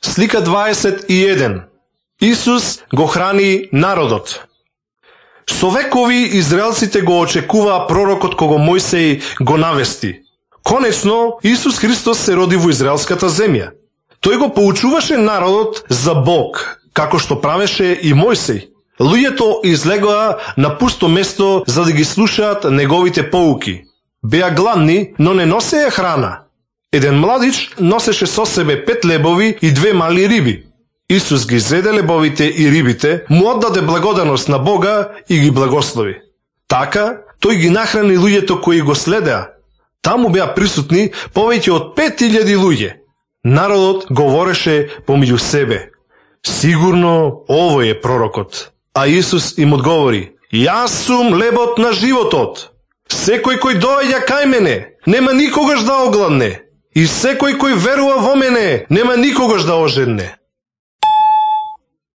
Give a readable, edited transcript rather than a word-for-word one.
Слика 21. Исус го храни народот. Со векови израелците го очекуваа пророкот кого Мојсей го навести. Конечно, Исус Христос се роди во израелската земја. Тој го поучуваше народот за Бог, како што правеше и Мојсей. Луѓето излегоа на пусто место за да ги слушаат неговите поуки. Беа гладни, но не носеја храна. Еден младич носеше со себе 5 лебови и 2 мали риби. Исус ги зеде лебовите и рибите, му оддаде благодарност на Бога и ги благослови. Така, тој ги нахрани луѓето кои го следеа. Таму беа присутни повеќе од 5000 луѓе. Народот говореше помеѓу себе: сигурно овој е пророкот. А Исус им одговори: јас сум лебот на животот. Секој кој доаѓа кај мене, нема никогаш да огладне. И секој кој верува во мене, нема никогаш да ожедне.